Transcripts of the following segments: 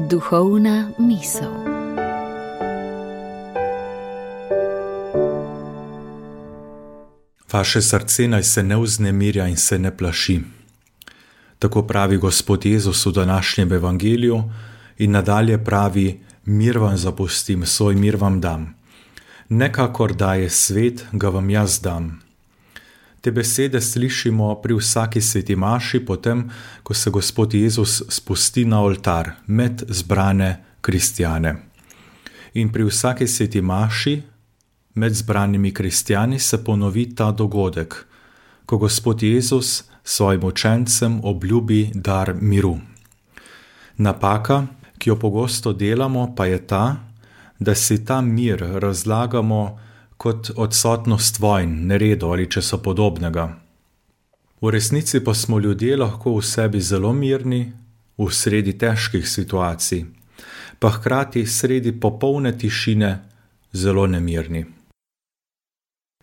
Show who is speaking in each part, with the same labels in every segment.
Speaker 1: Duhovna misel.
Speaker 2: Vaše srce naj se ne vznemirja in se ne plaši. Tako pravi Gospod Jezus v današnjem evangeliju in nadalje pravi: mir vam zapustim, svoj mir vam dam. Ne kakor daje svet, ga vam jaz dam. Te besede slišimo pri vsaki sveti maši, potem, ko se Gospod Jezus spusti na oltar med zbrane kristjane. In pri vsaki sveti maši med zbranimi kristjani se ponovi ta dogodek, ko Gospod Jezus svojim učencem obljubi dar miru. Napaka, ki jo pogosto delamo, pa je ta, da si ta mir razlagamo kot odsotnost vojn, neredov ali česa podobnega. V resnici pa smo ljudje lahko v sebi zelo mirni, v sredi težkih situacij, pa hkrati sredi popolne tišine zelo nemirni.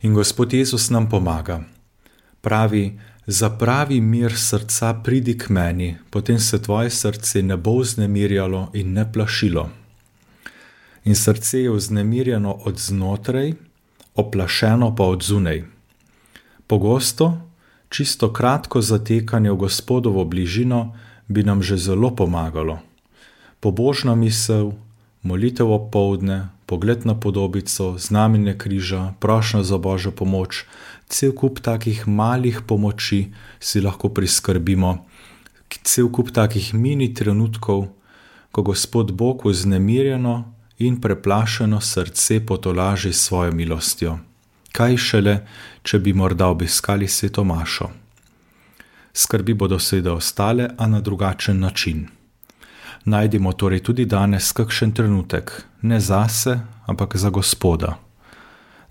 Speaker 2: In Gospod Jezus nam pomaga. Pravi: zapravi mir srca, pridi k meni, potem se tvoje srce ne bo vznemirjalo in ne plašilo. In srce je vznemirjeno od znotraj, oplašeno pa od zunaj. Pogosto, čisto kratko zatekanje v Gospodovo bližino bi nam že zelo pomagalo. Pobožna misel, molitev opoldne, pogled na podobico, znamenje križa, prošnja za Božjo pomoč, cel kup takih malih pomoči si lahko priskrbimo, cel kup takih mini trenutkov, ko Gospod Bog vznemirjeno in preplašeno srce potolaži s svojo milostjo. Kaj šele, če bi morda obiskali sveto mašo. Skrbi bodo seveda ostale, a na drugačen način. Najdimo torej tudi danes kakšen trenutek, ne zase, ampak za Gospoda.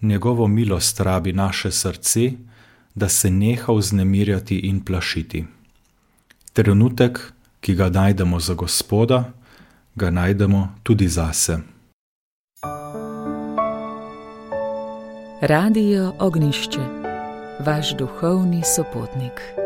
Speaker 2: Njegovo milost rabi naše srce, da se neha vznemirjati in plašiti. Trenutek, ki ga najdemo za Gospoda, ga najdemo tudi zase.
Speaker 1: Radio Ognjišče, vaš duhovni sopotnik.